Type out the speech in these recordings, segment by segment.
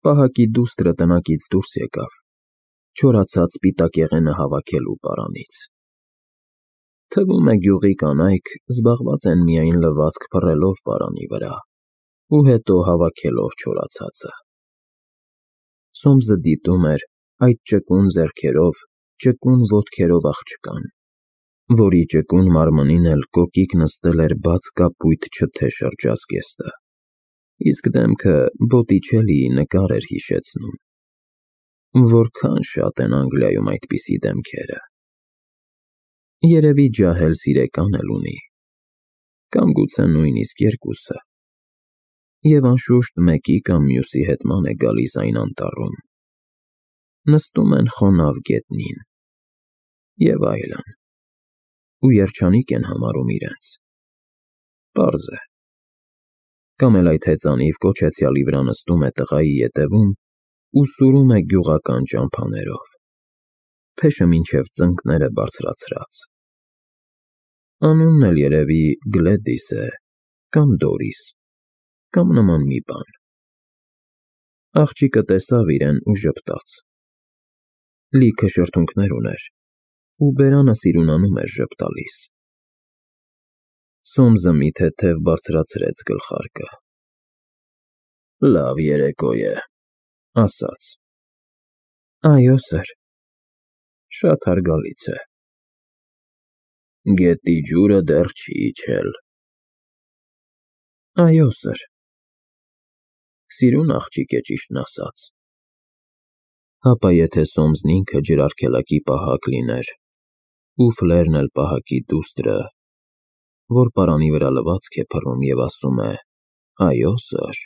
Պահակի դուստրը տնակից դուրս եկավ, չորացած սպիտակեղենը հավաքելու պարանից։ Թվում է գյուղի կանայք զբաղված են միայն լվացք փռելով պարանի վրա ու հետո հավաքելով չորացածը։ Սոմսը դիտում էր այդ ճկուն ձեռքերով, ճկուն ոտքերով աղջկան, որի ճկուն մարմնին էլ կոկիկ նստել էր բաց կապույտ չթե շրջազգեստը, իսկ դեմքը Բոտիչելիի նկար էր հիշեցնում։ Որքան շատ են Անգլիայում այդպիսի դեմքերը։ Երևի ջահել սիրեկան էլ ունի, կամ գուցե նույնիսկ երկուսը, և անշուշտ մեկի կամ մյուսի հետման է գալիս այն անտառում։ Նստում են խոնավ գետնին և այլն, ու երջանիկ են համարում իրենց։ Պարզ է։ Կամ էլ այդ հեծանիվ կոչեցյալի վրա նստում է տղայի ետևում ու սուրում է գյուղական ճամփաներով, փեշը մինչև ծնկները բարձրացրած։ Անունն էլ երևի Գլեդիս է, կամ Դորիս, կամ նման մի բան։ Աղջիկը տեսավ իրեն ու ժպտաց։ Լիքը շրթունքներ ուներ, ու բերանը սիրունանում էր ժպտալիս։ Սոմսը մի թեթև բարձրացրեց գլխարկը։ Լավ երեկո է, ասաց։ Այո, սըր։ Շատ հարգալից է։ Գետի ջուրը դեռ չի իջել։ Այո, սըր։ Սիրուն աղջիկ է, ճիշտն ասած։ Հապա եթե Սոմսն ինքը ջրարգելակի պահակ լիներ, ու Ֆլերն էլ պահակի դուստրը, որ պարանի վրա լվացք է փռում և ասում է. «Այո, սըր»։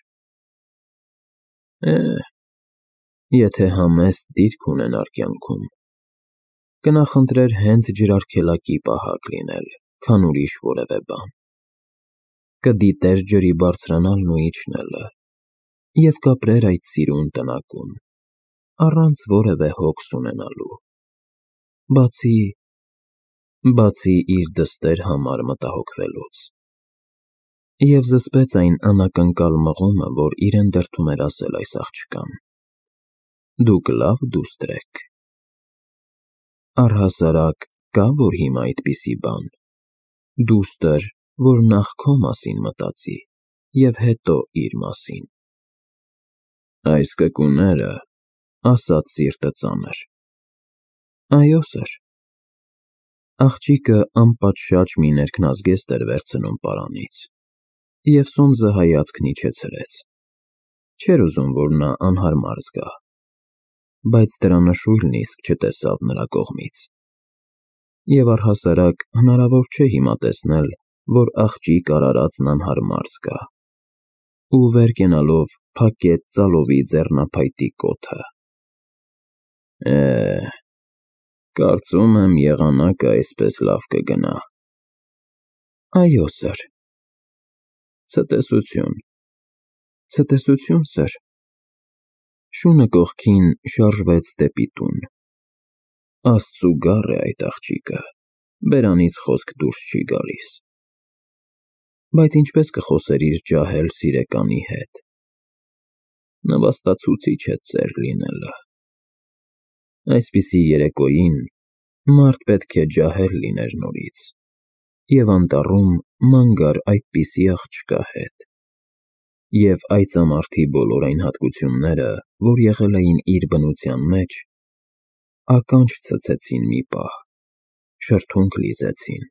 Եթե համեստ դիրք ունենար կյանքում, կնախընտրեր հենց ջրարգելակի պահակ լինել, քան ուրիշ որևէ բան։ Կդիտեր ջրի բարձրանալն ու իջնելը և կապրեր այդ սիրուն տնակում, առանց որևէ հոգս ունենալու, բացի իր դստեր համար մտահոգվելուց։ Եվ զսպեց այն անակնկալ մղումը, որ իրեն դրդում էր ասել այս աղջկան. «Դուք լավ դուստր եք»։ Առհասարակ, կա՞ որ հիմա այդպիսի բան, դուստր, որ նախ քո մասին մտածի և հետո իր մասին։ Այս կկուները, ասաց սիրտը ծանր։ Այո, սըր։ Աղջիկը անպատշաճ մի ներքնազգեստ էր վերցնում պարանից, և Սոմսը հայացքն իջեցրեց։ Չէր ուզում, որ նա անհարմար զգա, բայց դրա նշույլն իսկ չտեսավ նրա կողմից։ Եվ առհասարակ հնարավոր չէ հիմա տեսնել, որ աղջիկ արարածն անհարմար զգա, ու վեր կենալով փակեց ծալովի ձեռնափայտի կոթը։ Կարծում եմ եղանակը այսպես լավ կգնա։ Այո, սըր։ Ցտեսություն։ Ցտեսություն, սըր։ Շունը կողքին շարժվեց դեպի տուն։ Աստծու գառ է այդ աղջիկը, բերանից խոսք դուրս չի գալիս։ Բայց ինչպես կխոսեր իր ջահել սիրեկանի հետ։ Նվաստացուցիչ է ծեր լինելը։ Այսպիսի երեկոյին մարդ պետք է ջահել լիներ նորից, և անտառում ման գար այդպիսի աղջկա հետ։ Եվ այծամարդի բոլոր այն հատկությունները, որ եղել էին իր բնության մեջ, ականջ ցցեցին մի պահ, շրթունք լիզեցին,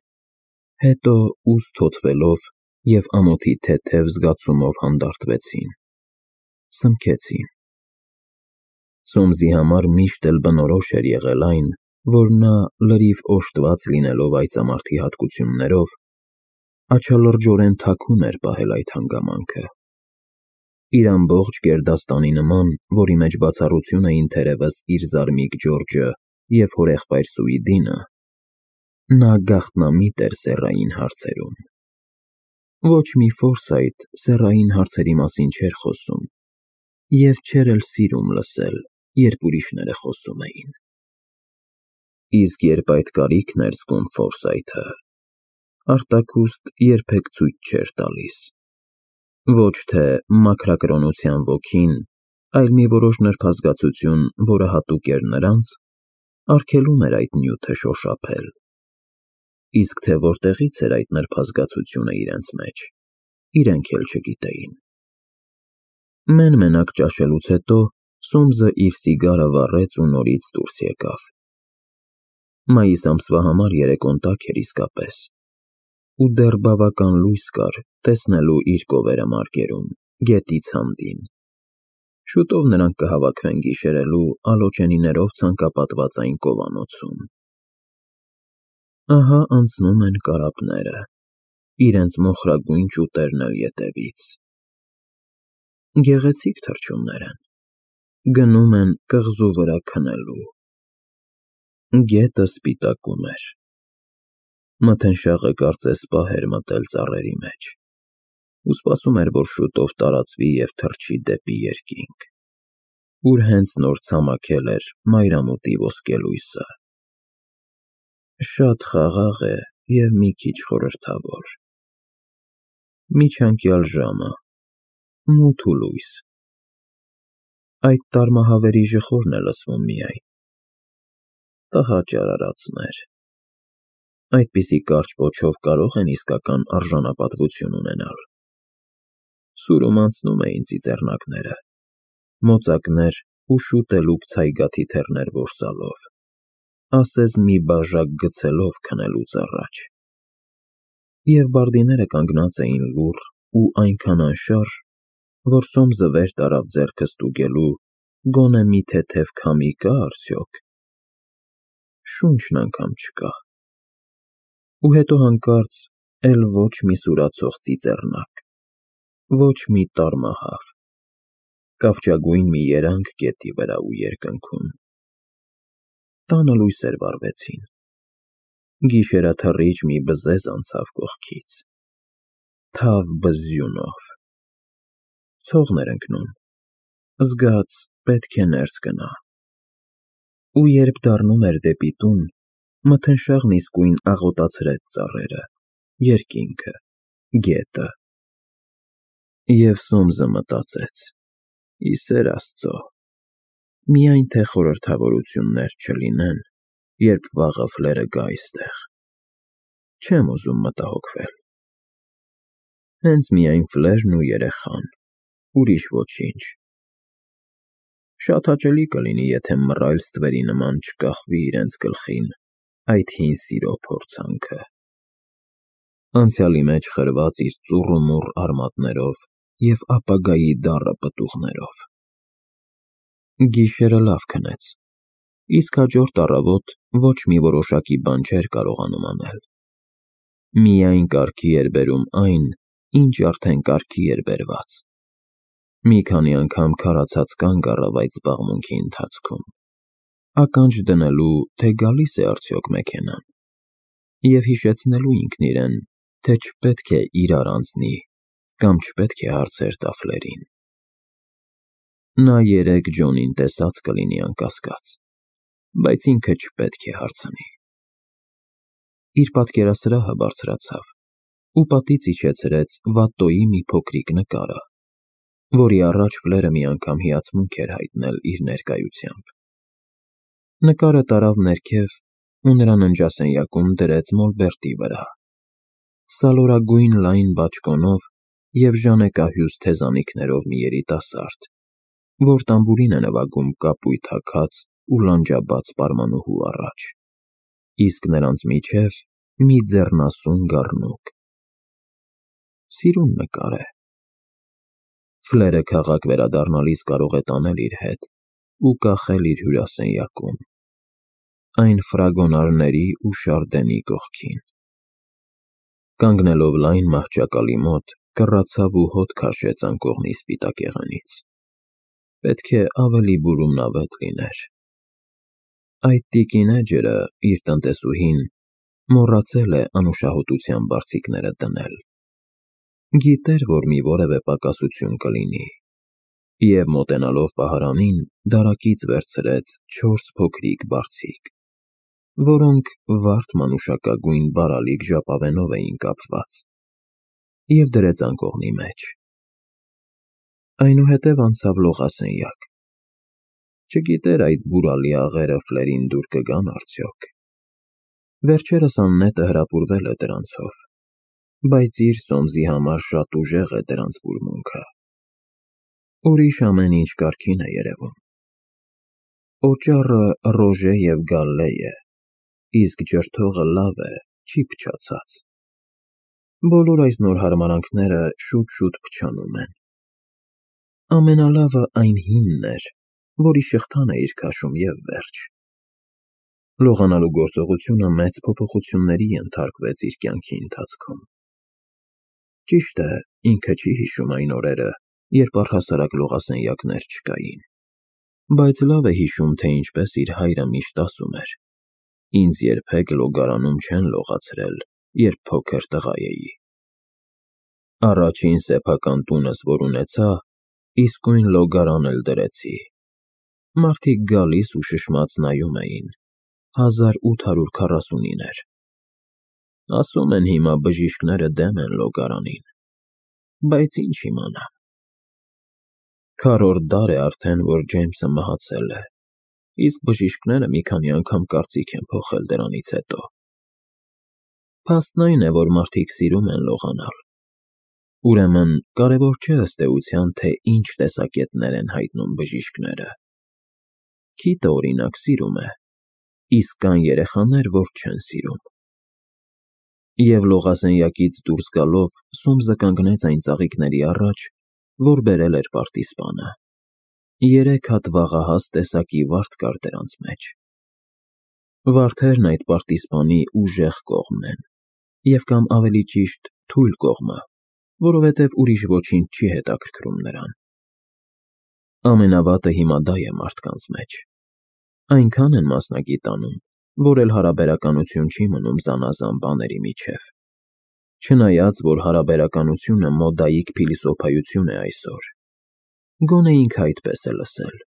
հետո ուստ հոթվելով և ամոթի թեթև զգացումով հանդարտվեցին, սմքեցին։ Սոմսի համար միշտ էլ բնորոշ էր եղել այն, որ նա լրիվ օժտված լինելով այծամարդի հատկություններով, աչալրջորեն թաքուն էր պահել այդ հանգամանքը։ Իր ամբողջ գերդաստանի նման, որի մեջ բացառություն էին թերևս իր զարմիկ Ջորջը և հորեղբայր Սուիդինը, նա գաղտնամիտ էր սեռային հարցերում։ Ոչ մի Ֆորսայթ սեռային հարցերի մասին չէր խոսում և չէր էլ սիրում լսել, երբ ուրիշները խոսում էին։ Իսկ երբ այդ կարիքն էր զգում Ֆորսայթը, արտաքուստ երբեք ցույց չէր տալիս։ Ոչ թե մաքրակրոնության ոգին, այլ մի որոշ նրբազգացություն, որը հատուկ էր նրանց, արգելում էր այդ նյութը շոշափել, իսկ թե որտեղից էր այդ նրբազգացությունը իրենց մեջ, իրենք էլ չգիտեին։ Մեն-մենակ ճաշելուց հետո Սոմսը իր սիգարը վառեց ու նորից դուրս եկավ։ Մայիս ամսվա համար երեկոն տաք էր իսկապես, ու դեռ բավական լույս կար տեսնելու իր կովերը մարգերում, գետից հանդին։ Շուտով նրանք կհավաքվեն գիշերելու ալոճենիներով ցանկապատված այն կովանոցում։ Ահա անցնում են կարապները, իրենց մոխրագույն ճուտերն էլ ետևից։ Գեղեցիկ թռչուններ են, գնում են կղզու վրա քնելու։ Գետը սպիտակում էր։ Մթնշաղը կարծես պահ էր մտել ծառերի մեջ ու սպասում էր, որ շուտով տարածվի և թռչի դեպի երկինք, ուր հենց նոր ցամաքել էր մայրամուտի ոսկելույսը։ Շատ խաղաղ է և մի քիչ խորհրդավոր։ Միջանկյալ ժամը, մութ ու լույս։ Այդ տառմահավերի ժխորն է լսվում միայն։ Տհաճ արարածներ։ Այդպիսի կարճ պոչով կարող են իսկական արժանապատվություն ունենալ։ Սուրում անցնում էին ծիծեռնակները, մոծակներ ու շուտելուկ ցայգաթիթեռներ որսալով, ասես մի բաժակ գցելով քնելուց առաջ։ Եվ բարդիները կանգնած էին լուռ ու այնքան անշարժ, որ Սոմսը վեր տարավ ձեռքը ստուգելու, գոնե մի թեթև քամի կա՞ արդյոք։ Շունչն անգամ չկա։ Ու հետո հանկարծ էլ ոչ մի սուրացող ծիծեռնակ, ոչ մի տառմահավ, կավճագույն մի երանգ գետի վրա ու երկնքում։ Տանը լույսեր վառվեցին։ Գիշերաթռիչ մի բզեզ անցավ կողքից, թավ բզզյունով։ Ցողն էր ընկնում, զգաց պետք է ներս գնա։ Ու երբ դառնում էր դեպի տուն, մթնշաղն իսկույն աղոտացրեց ծառերը, երկինքը, գետը։ Եվ Սոմսը մտածեց. «Ի սեր Աստծո, միայն թե խորհրդավորություններ չլինեն, երբ վաղը ֆլերը գա այստեղ։ Չեմ ուզում մտահոգվել։ Հենց միայն ֆլերն ու երեխան, ուրիշ ոչինչ։ Շատ հաճելի կլինի, եթե մռայլ ստվերի նման չկախվի իրենց գլխին այդ հին սիրո փորձանքը, անցյալի մեջ խրված իր ծուռ ու մուռ արմատներով և ապագայի դառը պտուղներով։ Գիշերը լավ քնեց, իսկ հաջորդ առավոտ ոչ մի որոշակի բան չէր կարողանում անել։ Միայն կարգի էր բերում այն, ինչ արդեն կարգի էր բերված։ Մի քանի անգամ քարացած կանգ առավ այդ զբաղմունքի ընթացքում, ականջ դնելու, թե գալի՞ս է արդյոք մեքենան, և հիշեցնելու ինքն իրեն, թե չպետք է իրար անցնի կամ չպետք է հարցեր տա ֆլերին։ Նա երեկ Ջոնին տեսած կլինի անկասկած, բայց ինքը չպետք է հարցնի։ Իր պատկերասրահը բարձրացավ ու պատից իջեցրեց Վատտոյի մի փոքրիկ նկարը, որի առաջ ֆլերը մի անգամ հիացմունք էր հայտնել իր ներկայությամբ։ Նկարը տարավ ներքև ու նրա ննջասենյակում դրեց մոլբերտի վրա, սալորագույն լայն բաճկոնով և ժանեկահյուս թեզանիքներով մի երիտասարդ, որ տամբուրին է նվագում կապույտ հագած ու լանջաբաց պարմանուհու առաջ, իսկ նրանց միջև մի ձեռնասուն գառնուկ։ Սիրուն նկար է։ Ֆլերը քաղաք վերադառնալիս կարող է տանել իր հետ ու կախել իր հյուրասենյակում, այն ֆրագոնարների ու շարդենի կողքին։ Կանգնելով լայն մահճակալի մոտ, կռացավ ու հոտ քաշեց անկողնի սպիտակ եղանից։ Պետք է ավելի բուրումնավետ լիներ։ Այդ տիկին էջերը, իր տնտեսուհին, մոռացել է անուշահոտության բարձիկները դնել։ Գիտեր, որ մի որևէ պակասություն կլինի, և մոտենալով պահարանին, դարակից վերցրեց 4 փոքրիկ բարձիկ, որոնք վարդ մանուշակագույն բարալիկ ժապավենով էին կապված, և դրեց անկողնի մեջ։ Այնուհետև անցավ լողասենյակ։ Չգիտեր այդ բուրալի աղերը Ֆլերին դուր կգան արդյոք։ Վերջերս աննետը հրապուրվել է դրանցով, բայց իր սոմզի համար շատ ուժեղ է դրանց բուրմունքը։ Ուրիշ ամեն ինչ կարգին է երևում։ Օճառը ռոժե և գալլե է, իսկ ջրթողը լավ է, չի փչացած։ Բոլոր այս նոր հարմարանքները շուտ-շուտ փչանում են։ Ամենալավը այն հինն էր, որի շղթան էիր քաշում և վերջ։ Լողանալու գործողությունը մեծ փոփոխությունների ենթարկվեց իր կյանքի ընթացքում։ Ճիշտ է, ինքը չի հիշում այն օրերը, երբ առհասարակ լողասենյակներ չկային, բայց լավ է հիշում, թե ինչպես իր հայրը միշտ ասում էր. «Ինձ երբեք լոգարանում չեն լողացրել, երբ փոքր տղա էի»։ Առաջին սեփական տունս, որ ունեցա, իսկույն լոգարան էլ դրեցի։ Մարդիկ գալիս ու շշմած նայում էին։ 1849 էր։ Ասում են հիմա բժիշկները դեմ են լոգարանին, բայց ինչ իմանամ։ Քառորդ դար է արդեն, որ Ջեյմսը մահացել է, իսկ բժիշկները մի քանի անգամ կարծիք են փոխել դրանից հետո։ Փաստն այն է, որ մարդիկ սիրում են լողանալ։ Ուրեմն կարևոր չէ ըստ էության, թե ինչ տեսակետներ են հայտնում բժիշկները։ Քիթը, օրինակ, սիրում է, իսկ կան երեխաներ, որ չեն սիրում։ Եվ լողասենյակից դուրս գալով Սոմսը կանգնեց այն ծաղիկների առաջ, որ բերել էր պարտիզպանը։ 3 հատ վաղահաս տեսակի վարդ կար դրանց մեջ։ Վարդերն այդ պարտիզպանի ուժեղ կողմն են, և կամ ավելի ճիշտ թույլ կողմը, որովհետև ուրիշ ոչինչ չի հետաքրքրում նրան։ Ամենավատը հիմա դա է մարդկանց մեջ։ Այնքան են մասնագիտանում, որ էլ հարաբերականություն չի մնում զանազան բաների միջև։ Չնայած, որ հարաբերականությունը մոդայիկ փիլիսոփայություն է այսօր։ Գոնե ինքը այդպես է լսել։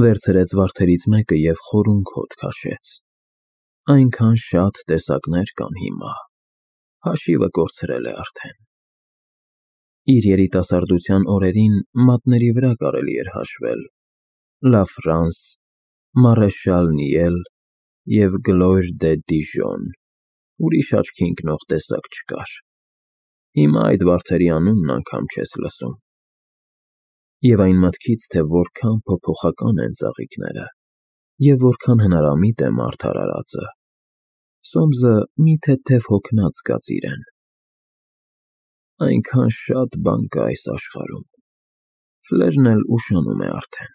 Վերցրեց վարդերից մեկը և խորունկ հոտ քաշեց։ Այնքան շատ տեսակներ կան հիմա, հաշիվը կորցրել է արդեն։ Իր երիտասարդության օրերին մատների վրա կարելի էր հաշվել Լա Ֆրանս, Մարեշալ Նիել և Գլոյր դե Դիժոն, ուրիշ աչքի ընկնող տեսակ չկար։ Հիմա այդ վարդերի անունն անգամ չես լսում։ Եվ այն մտքից, թե որքան փոփոխական են ծաղիկները, և որքան հնարամիտ է մարդ արարածը, Սոմսը մի թեթև հոգնած զգաց իրեն։ Այնքան շատ բան կա այս աշխարհում, Ֆլերն էլ ուշանում է արդեն։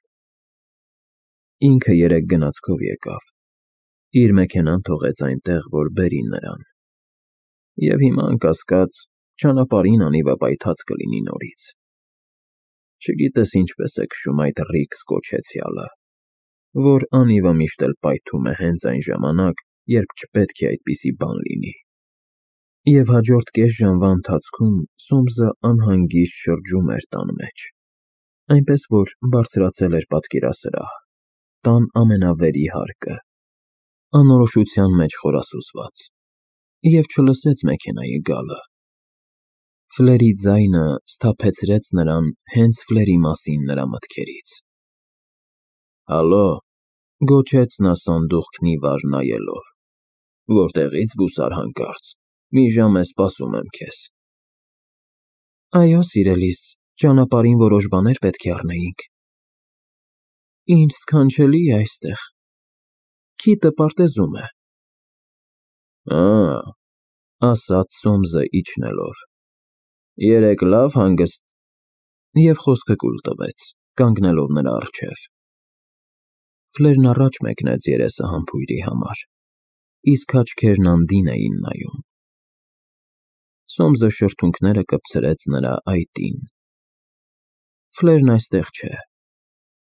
Ինքը երեկ գնացքով եկավ, իր մեքենան թողեց այնտեղ, որ բերի նրան։ Եվ հիմա, անկասկած, ճանապարհին անիվապայթած կլինի նորից։ Չգիտես ինչպես է քշում այդ Ռիքս կոչեցյալը, որ անիվը միշտ էլ պայթում է հենց այն ժամանակ, երբ չպետք է այդպիսի բան լինի։ Եվ հաջորդ կես ժամվա ընթացքում Սոմսը անհանգիստ շրջում էր տան մեջ, այնպես որ բարձրացել էր պատկերասրահ, տան ամենավերի հարկը, անորոշության մեջ խորասուզված, և չլսեց մեքենայի գալը։ Ֆլերի ձայնը սթափեցրեց նրան հենց Ֆլերի մասին նրա մտքերից։ «Հալո», գոչեց նա սանդուղքն ի վար նայելով, «որտեղի՞ց գուսար հանկարծ, մի ժամ է սպասում եմ քեզ»։ «Այո, սիրելիս, ճանապարհին որոշ բաներ պետք է առնեինք»։ «Ինչ սքանչելի է այստեղ, Քիթը պարտեզում է»։ «Ա՜», ասաց Սոմսը իջնելով, «երեկ լավ հանգս…» և խոսքը կուլ տվեց, կանգնելով նրա առջև։ Ֆլերն առաջ մեկնեց երեսը համբույրի համար, իսկ աչքերն անդին էին նայում։ Սոմսը շրթունքները կպցրեց նրա այտին։ Ֆլերն այստեղ չէ,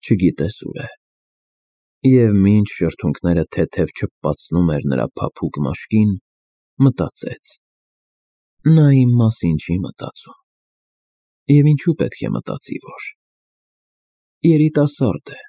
չգիտես ուր է։ Եվ մինչ շրթունքները թեթև չփպացնում էր նրա փափուկ մաշկին, մտածեց. նա իմ մասին չի մտածում։ Եվ ինչու պետք է մտածի, որ… երիտասարդ է,